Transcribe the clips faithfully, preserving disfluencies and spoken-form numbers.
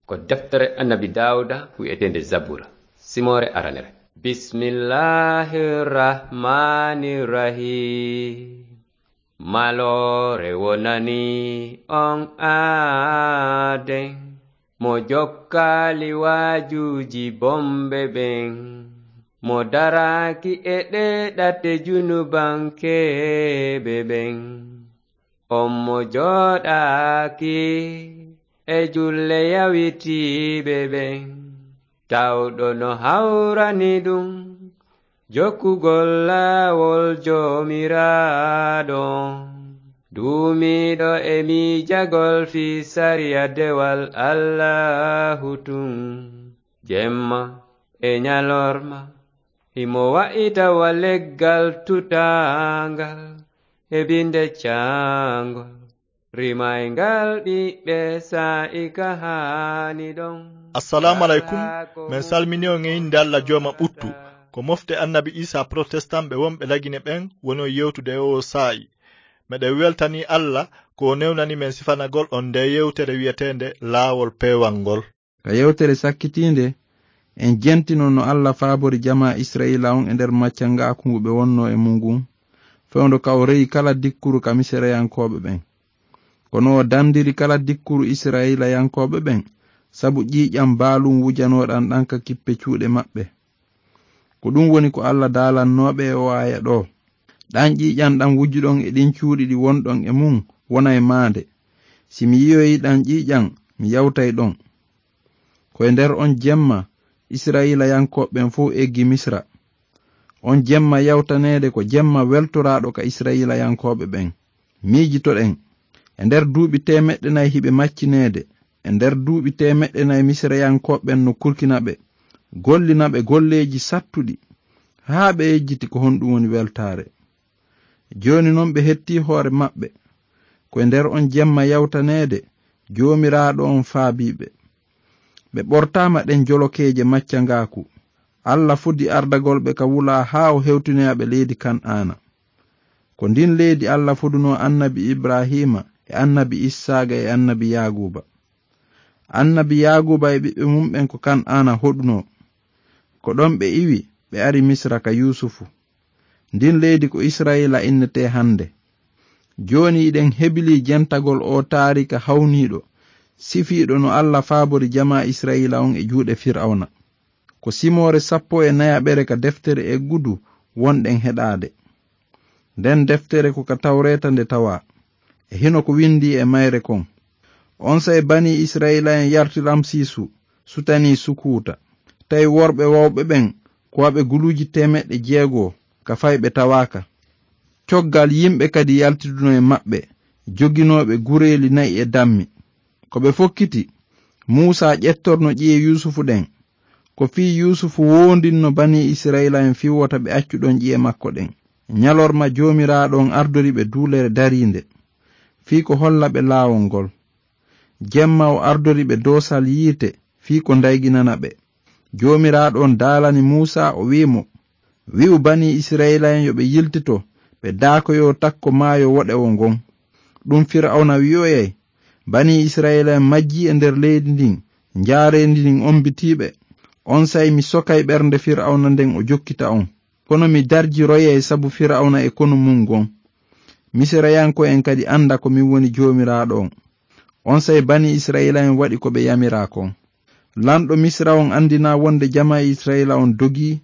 Ko deftere Annabi Daawuda wi'eteende Zabura, simoore aranere. Bismillahir Rahmanir Rahim. Maloore wonani on aaden, mo jokkaali waajuuji bomɓe ɓen, mo daraaki e ɗee ɗate junubankeeɓe ɓen. On mo jooɗaaki e julle yawitiiɓe ɓen, tawɗo no hawrani ɗum jokkugol laawol Joomiraaɗo, duumiiɗo e miijagol fii sariya dewal Allaahu tun, jemma e ñalorma, himo wa'ita wa leggal tutaangal e binde caangol, rimayngal ɓiɓɓe saa'i ka haani ɗon. Assalaamu aleykum. Men salmini on e innde Alla Jooma ɓuttu. Ko mofte Annabi Iisaa protestant ɓe wonɓe Lagine ɓen woni on yewtude e oo saa'i. Meɗen weltanii Alla ko o newnani men sifanagol on ndee yewtere wi'eteende Laawol Peewal ngol. Ka yewtere sakkitiinde, en jentino no Alla faabori jamaa Isra'iila on e nder maccangaaku ngu ɓe wonnoo e mun ngun, fewndo ka o reyi kala dikkuru ka Misirayankooɓe ɓen. Kono o dandiri kala dikkuru Isra'iilayankooɓe ɓen, sabu ƴiiƴan baalun wujanooɗan ɗan ka kippe cuuɗe maɓɓe. Ko ɗun woni ko Alla daalannoo ɓe e oo aaya ɗoo. Ɗan ƴiiƴan ɗan wujuɗon e ɗin cuuɗi ɗi wonɗon e mun wonay maande. Si mi yi'oyii ɗan ƴiiƴan, mi yawtay ɗon. Ko e nder on jemma, Isra'iilayankooɓe ɓen fow eggi Misira. On jemma yawtaneede ko jemma weltoraaɗo ka Isra'iilayankooɓe ɓen. Miijitoɗen, e nder duuɓi teemeɗɗe nay hiɓe maccineede, e nder duuɓi teemeɗɗe nay Misirayankooɓe ɓen no kurkina ɓe, gollina ɓe golleeji sattuɗi, haa ɓe yejjiti ko honɗun woni weltaare. Jooni non ɓe hettii hoore maɓɓe. Ko e nder on jemma yawtaneede, Joomiraaɗo on faabii ɓe. Ɓe ɓortaama ɗen jolokeeje maccangaaku. Alla fodi ardagol ɓe ka wulaa haa o hewtinoya ɓe leydi Kan'aana. Ko ndin leydi Alla fodunoo Annabi Ibraahiima e Annabi Issaaqa e Annabi Yaaquuba. Annabi Yaaquuba e ɓiɓɓe mun ɓen ko Kan'aana hoɗunoo. Ko ɗon ɓe iwi, ɓe ari Misira ka Yuusufu. Ndin leydi ko Isra'iila innetee hande. Jooni hiɗen hebilii jentagol oo taariika hawniiɗo, sifiiɗo no Alla faabori jamaa Isra'iila on e juuɗe Fir'awna. Ko simoore sappo e nayaɓere ka deftere Eggudu wonɗen heɗaade. Nden deftere ko ka Tawreeta nde tawaa. E hino ko windii e mayre kon. Onsay banii Isra'iila'en yarti Ramsiisu, sutanii Sukuuta. Tawi worɓe wawɓe ɓen ko waɓe guluuji teemeɗɗe jeego ka fay ɓe tawaaka. Coggal yimɓe kadi yaltidunoo e maɓɓe, joginooɓe gureeli na'i e dammi. Ko ɓe fokkiti, Muusaa ƴettorno ƴi'e Yuusufu ɗen. Ko fii Yuusufu woondinno banii Isra'iila'en fii wota ɓe accu ɗon ƴi'e makko ɗen. Ñalorma Joomiraaɗo on ardori ɓe duulere dariinde, fii ko holla ɓe laawol ngol. Jemma o ardori ɓe doosal yiite fii ko ndayginana ɓe. Joomiraaɗo on daalani Muusaa, o wi'i mo, "Wi'u banii Isra'iila'en yo ɓe yiltito, ɓe daakoyoo takko maayo woɗewo ngon." Ɗun Fir'awna wi'oyay, "Banii Isra'iila'en majjii e nder leydi ndin, njaareendi ndin ombitii ɓe. Onsay mi sokay ɓernde Fir'awna nden o jokkita on. Kono mi darjiroyay sabu Fir'awna e konu mun ngon. Misirayanko'en kadi anda ko min woni Joomiraaɗo on." Onsay banii Isra'iila'en waɗi ko ɓe yamiraa kon. Lanɗo Misira on andinaa wonde jamaa Isra'iila on dogii.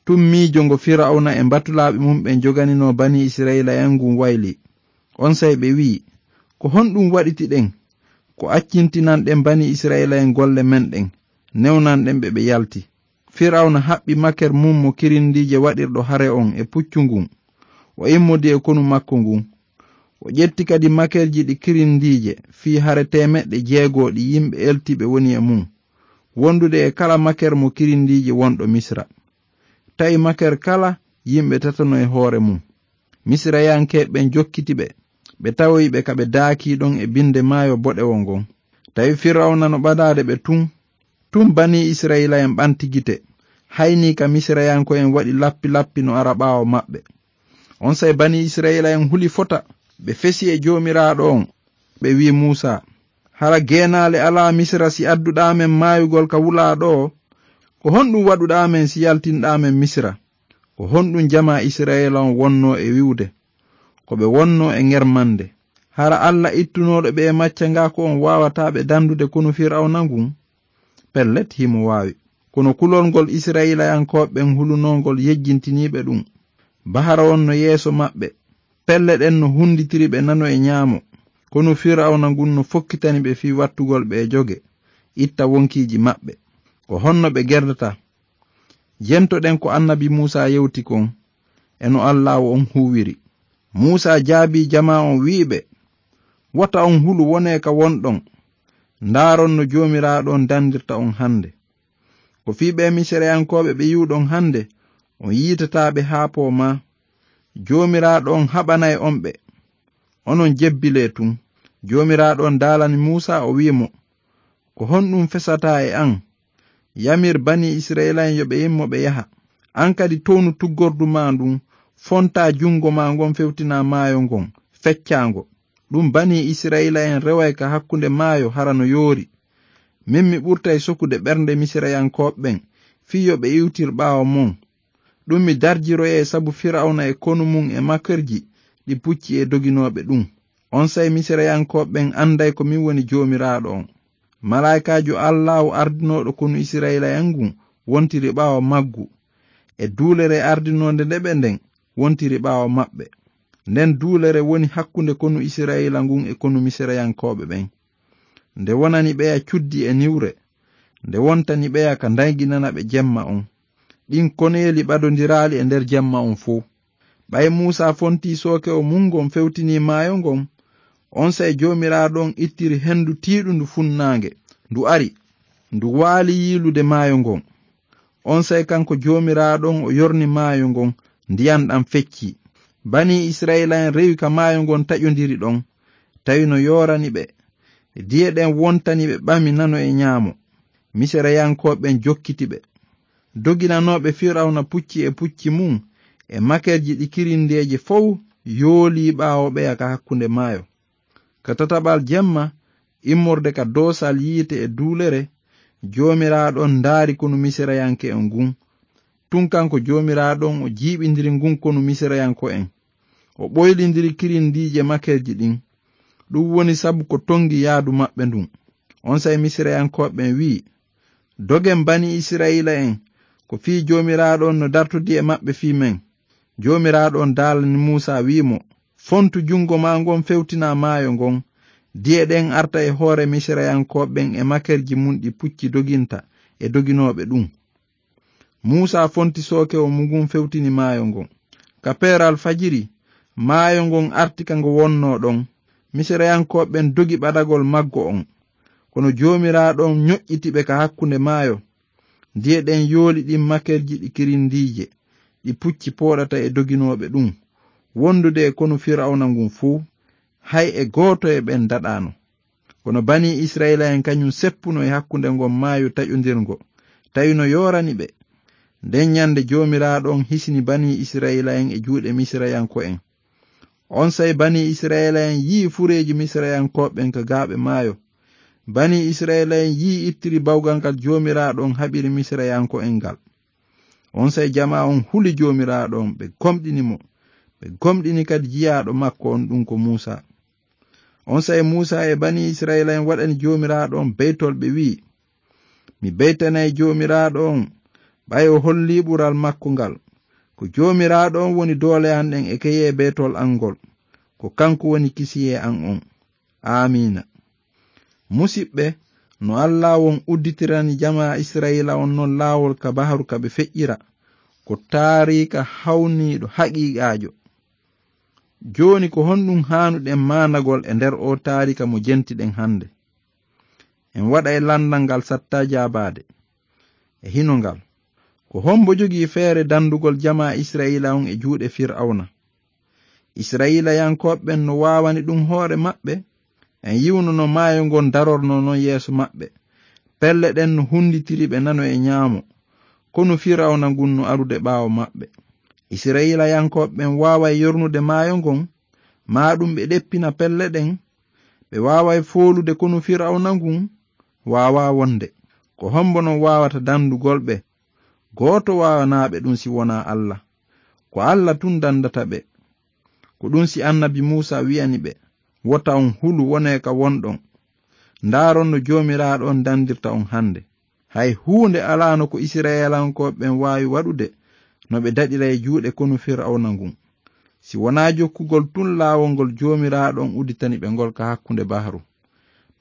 Tun miijo ngo Fir'awna e mbatulaaɓe mun ɓen joganinoo banii Isra'iila'en ngun waylii. Onsay ɓe wi'i, "Ko honɗun waɗitiɗen? Ko accintinanɗen banii Isra'iila'en golle men ɗen, newnanɗen ɓe ɓe yalti." Fir'awna haɓɓi maker mun mo kirindiije waɗirɗo hare on e puccu ngun. O immodi e konu makko ngun. O ƴetti kadi makerji ɗi kirindiije fii hare teemeɗɗe jeego ɗi yimɓe eltiiɓe woni e mun, wondude e kala maker mo kirindiije wonɗo Misira. Tawi maker kala yimɓe tatano e hoore mun. Misirayankeeɓe ɓen jokkiti ɓe, ɓe tawoyi ɓe ka ɓe daakii ɗon e binde maayo boɗewo ngon. Tawi Fir'awna no ɓadaade ɓe tun. Tun banii Isra'iila'en ɓanti gite, haynii ka Misirayanko'en waɗi lappi-lappi no ara ɓaawo maɓɓe. Onsay banii Isra'iila'en huli fota, ɓe fesi e Joomiraaɗo on, ɓe wi'i Muusaa, Hara geenaale alaa Misira si adduɗaa men maayugol ka wulaa ɗoo? Ko honɗun waɗuɗaa men si yaltinɗaa men Misira? Ko honɗun jamaa Isra'iila on wonnoo e wi'ude? Ko ɓe wonnoo e ŋermande. Hara Alla ittunooɗo ɓe e maccangaaku on waawataa ɓe dandude konu Fir'awna ngun? Pellet, himo waawi. Kono kulol ngol Isra'iilayankooɓe ɓen hulunoo ngol yejjintinii ɓe ɗun. Bahara on no yeeso maɓɓe. Pelle ɗen no hunditiri ɓe nano e ɲaamo. Konu Fir'awna ngun no fokkitani ɓe fii wattugol ɓe e joge, itta wonkiiji maɓɓe. Ko honno ɓe gerdata? Jemtoɗen ko annabi Muusaa yewti kon, e no Allaahu on huuwiri. Muusaa jaabii jamaa on, wi'i ɓe, "Wota on hulu, wonee ka wonɗon. Ndaaron no Joomiraaɗo on dandirta on hande. Ko fii ɓee Misirayankooɓe ɓe yi'uɗon hande, on yiitataa ɓe haa poomaa. Joomiraaɗo on haɓanay on ɓe. Onon jebbilee tun." Joomiraaɗo on daalani Muusaa, o wi'i mo, "Ko honɗun fesataa e an? Yamir banii Isra'iila'en yo ɓe immo ɓe yaha. An kadi townu tuggordu maa ndun, fontaa jungo maa ngon fewtinaa maayo ngon, feccaa ngo. Ɗun banii Isra'iila'en reway ka hakkunde maayo hara no yoori. Min mi ɓurtay sokude ɓernde Misirayankooɓe ɓen, fii yo ɓe iwtir ɓaawo mon. Ɗun mi darjiroyay sabu Fir'awna e konu mun e makerji ɗi pucci e doginooɓe ɗun. Onsay Misirayankooɓe ɓen anday ko min woni Joomiraaɗo on." Malaa'ikaajo Allaahu ardinooɗo konu Isra'iila'en ngun wontiri ɓaawo maggu, e duulere ardinoonde nde ɓe nden wontiri ɓaawo maɓɓe. Nden duulere woni hakkunde konu Isra'iila ngun e konu Misirayankooɓe ɓen. Nde wonani ɓeya cuddi e niwre, nde wontani ɓeya ka ndayginana ɓe jemma on. Ɗin koneeli ɓadondiraali e nder jemma on fow. Ɓay Muusaa fontii sookewo mun ngon fewtinii maayo ngon, onsay Joomiraaɗo on ittiri hendu tiiɗundu funnaange, ndu ari, ndu waali yiilude maayo ngon. Onsay kanko Joomiraaɗo on o yorni maayo ngon, ndiyan ɗan feccii. Banii Isra'iila'en rewi ka maayo ngon taƴondiri ɗon, tawi no yoorani ɓe. Diye ɗen wontani ɓe ɓami nano e ɲaamo. Misirayankooɓe ɓen jokkiti ɓe. Doginanooɓe Fir'awna pucci e pucci mun e makerji ɗi kirindeeje fow yoolii ɓaawo ɓeya ka hakkunde maayo. Ka tataɓal jemma, immorde ka doosal yiite e duulere, Joomiraaɗo on ndaari konu Misirayanke on ngun. Tun kanko Joomiraaɗo on o jiiɓindiri ngun konu Misirayanko'en. O ɓoylindiri kirindiije makerji ɗin. Ɗun woni sabu ko tongi yaadu maɓɓe ndun. Onsay Misirayankooɓe ɓen wi'i, "Dogen banii Isra'iila'en, ko fii Joomiraaɗo on no dartodi e maɓɓe fii men." Joomiraaɗo on daalani Muusaa, wi'i mo, "Fontu jungo maa ngon fewtinaa maayo ngon. Diye ɗen arta e hoore Misirayankooɓe ɓen e makerji mun ɗi pucci doginta e doginooɓe ɗun." Muusaa fonti sookewo mun ngun fewtini maayo ngon. Ka peeral fajiri, maayo ngon arti ka ngo wonnoo ɗon. Misirayankooɓe ɓen dogi ɓadagol maggo on. Kono Joomiraaɗo on ɲoƴƴiti ɓe ka hakkunde maayo. Diye ɗen yooli ɗin makerji ɗi kirindiije, ɗi pucci pooɗata e doginooɓe ɗun, wondude e konu Fir'awna ngun fow, hay e gooto e ɓen daɗaano. Kono banii Isra'iila'en kaɲun seppuno e hakkunde ngon maayo taƴondirngo, tawi no yoorani ɓe. Nden ɲande Joomiraaɗo on hisini banii Isra'iila'en e juuɗe Misirayanko'en. Onsay banii Isra'iila'en yi'i fureeji Misirayankooɓe ɓen ka gaaɓe maayo. Banii Isra'iila'en yi'i ittiri bawgal ngal Joomiraaɗo on haɓiri Misirayanko'en ngal. Onsay jamaa on huli Joomiraaɗo on, ɓe gomɗini mo. Ɓe gomɗini kadi jiyaaɗo makko on, ɗun ko Muusaa. Onsay Muusaa e banii Isra'iila'en waɗani Joomiraaɗo on beytol, ɓe wi'i, "Mi beytanay Joomiraaɗo on, ɓay o hollii ɓural makko ngal. Ko Joomiraaɗo on woni doole an ɗen e keyee beytol an ngol. Ko kanko woni kisiyee an on." Aamiina. Musiɓɓe, no Allaahu on udditirani jamaa Isra'iila on non laawol ka baharu ka ɓe feƴƴira, ko taariika hawniiɗo haqiiqaajo. Jooni, ko honɗun haanuɗen maandagol e nder oo taariika mo jentiɗen hande? En waɗay landal ngal sattaa jaabaade. E hino ngal, ko hombo jogii feere dandugol jamaa Isra'iila on e juuɗe Fir'awna? Isra'iilayankooɓe ɓen no waawani ɗun hoore maɓɓe. En yi'uno no maayo ngon darornoo non yeeso maɓɓe. Pelle ɗen no hunditiri ɓe nano e ɲaamo. Konu Fir'awna ngun no arude ɓaawo maɓɓe. Isra'iilayankooɓe ɓen waaway yornude maayo ngon, maa ɗun ɓe ɗeppina pelle ɗen. Ɓe waaway foolude konu Firawna ngun? Waawaa wonde. Ko hombo non waawata dandugol ɓe? Gooto waawanaa ɓe ɗun si wonaa Alla. Ko Alla tun dandata ɓe. Ko ɗun si annabi Muusa wi'ani ɓe, "Wota on hulu, wonee ka wonɗon. Ndaaron no Joomiraaɗo on dandirta on hande." Hay huunde alaano ko Isra'ilankooɓe ɓen waawi waɗude no ɓe daɗira e juuɗe konu Firawna ngun, si wonaa jokkugol tun laawol ngol Joomiraaɗo on udditani ɓe ngol ka hakkunde bahru.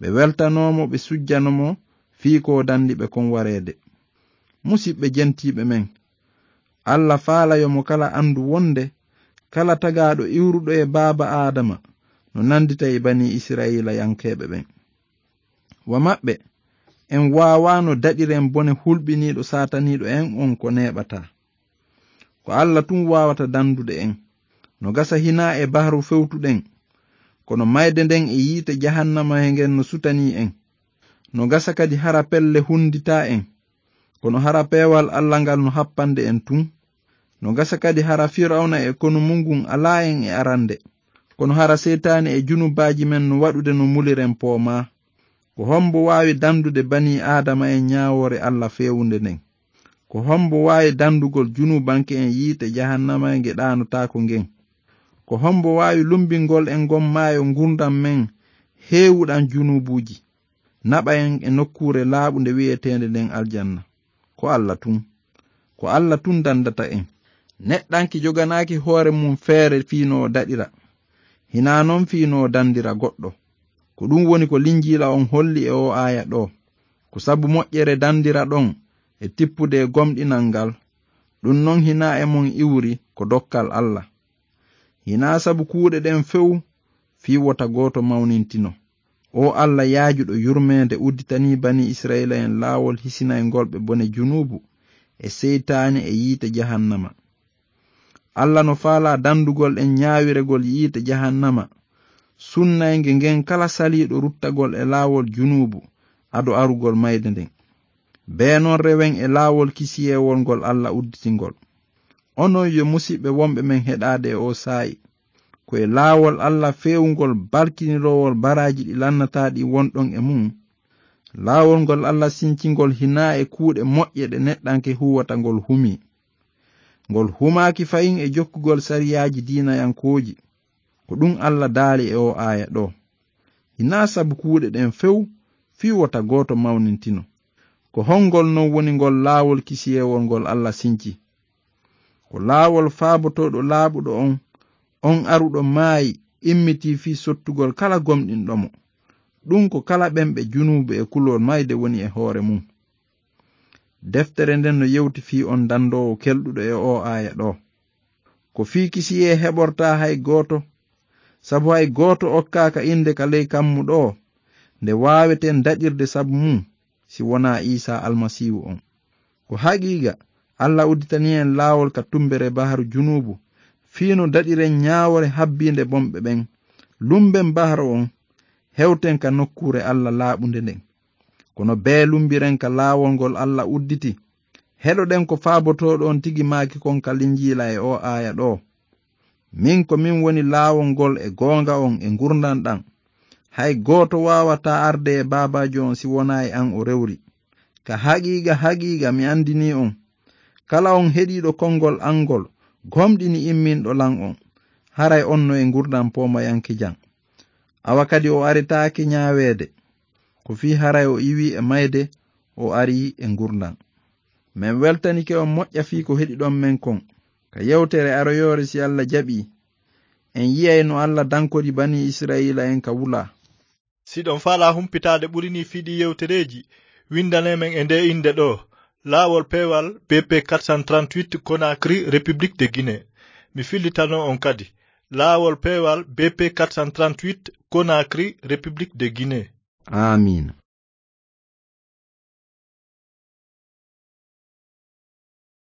Ɓe weltanoo mo, ɓe sujjano mo fii ko o dandi ɓe kon wareede. Musiɓɓe jentiiɓe men, Alla faala yo mo kala andu wonde kala tagaaɗo iwruɗo e baaba Aadama no nandita e banii Isra'iilayankeeɓe ɓen. Wa maɓɓe, en waawaano daɗiren bone hulɓiniiɗo saataniiɗo en on ko neeɓataa. Ko Alla tun waawata dandude en. No gasa hinaa e bahru fewtuɗen, kono mayde nden e yiite jahannama he ngen no sutanii en. No gasa kadi hara pelle hunditaa en, kono hara peewal Alla ngal no happande en tun. No gasa kadi hara Firawna e konu mun ngun alaa en e arande, kono hara seytaane e junubaaji men no waɗude no muliren poomaa. Ko hombo waawi dandude banii Aadama en ñaawoore Alla feewunde nden? Ko hombo waawi dandugol junubanke en yiite jahannama e nge ɗaanotaako ngen? Ko hombo waawi lumbingol en ngon maayo ngurndan men heewuɗan junubuuji, naɓa en e nokkuure laaɓunde wi'eteende nden aljanna? Ko Alla tun. Ko Alla tun dandata en. Neɗɗanke joganaaki hoore mun feere fii no o daɗira, hinaa non fii no o dandira goɗɗo. Ko ɗun woni ko Linjiila on holli e oo aaya ɗoo. Ko sabu moƴƴere dandiraɗon e tippude e gomɗinal ngal, ɗun non hinaa e mon iwri, ko dokkal Alla. Hinaa sabu kuuɗe ɗen few fii wota gooto mawnintino. Oo Alla yaajuɗo yurmeende udditanii banii Isra'iila'en laawol hisinayngol ɓe bone junuubu e seytaane e yiite jahannama. Alla no faalaa dandugol en ñaawiregol yiite jahannama sunnaynge ngen kala saliiɗo ruttagol e laawol junuubu ado arugol mayde nden. Bee non rewen e laawol kisiyeewol ngol Alla udditingol. Onon yo musiɓɓe wonɓe men heɗaade e oo saa'i, ko e laawol Alla feewungol balkiniroowol baraaji ɗi lannataa ɗin wonɗon e mun. Laawol ngol Alla sincingol hinaa e kuuɗe moƴƴe ɗe neɗɗanke huuwata ngol humii. Ngol humaaki fahin e jokkugol sariyaaji diinayankooji. Ko ɗun Alla daali e oo aaya ɗoo. Hinaa sabu kuuɗe ɗen few fii wota gooto mawnintino. Ko hongol non woni ngol laawol kisiyeewol ngol Alla sinci? Ko laawol faabotooɗo laaɓuɗo on, on aruɗo maayi, immitii fii sottugol kala gomɗinɗo mo. Ɗun ko kala ɓen ɓe junuubu e kulol mayde woni e hoore mun. Deftere nden no yewti fii on dandoowo kelɗuɗo e oo aaya ɗoo. Ko fii kisiyee heɓortaa hay gooto, sabu hay gooto okkaaka innde ka ley kammu ɗoo nde waaweten daɗirde sabu mun, si wonaa Iisaa Almasiihu on. Ko haqiiqa, Alla udditanii en laawol ka tumbere baharu junuubu, fii no daɗiren ñaawoore habbiinde bonɓe ɓen, lumben baharu on, hewten ka nokkuure Alla laaɓunde nden. Kono bee lumbiren ka laawol ngol Alla udditi, heɗoɗen ko faabotooɗo on tigi maaki kon ka Linjiila e oo aaya ɗoo. Min ko min woni laawol ngol e goonga on e ngurndan ɗan. Hay gooto waawataa arde e Baabaajo on si wonaa e an o rewri. Ka haqiiqa, haqiiqa, mi andinii on, kala on heɗiiɗo konngol an ngol, gomɗini imminɗo lan on, haray on no e ngurndan poomayankejan. Awa kadi o aretaake ñaaweede, ko fii haray o iwii e mayde, o arii e ngurndan. Men weltanike on moƴƴa fii ko heɗiɗon men kon ka yewtere aroyoore, si Alla jaɓii. En yi'ay no Alla dankori banii Isra'iila'en ka wulaa. Si ɗon faalaa humpitaade ɓuri nii fii ɗii yewtereeji, windanee men e ndee innde ɗoo, Laawol Peewal B P quatre cent trente-huit, Conakry, République de Guinée. Mi fillitanoo on kadi, Laawol Peewal B P quatre cent trente-huit, Conakry, République de Guinée. Aamiin.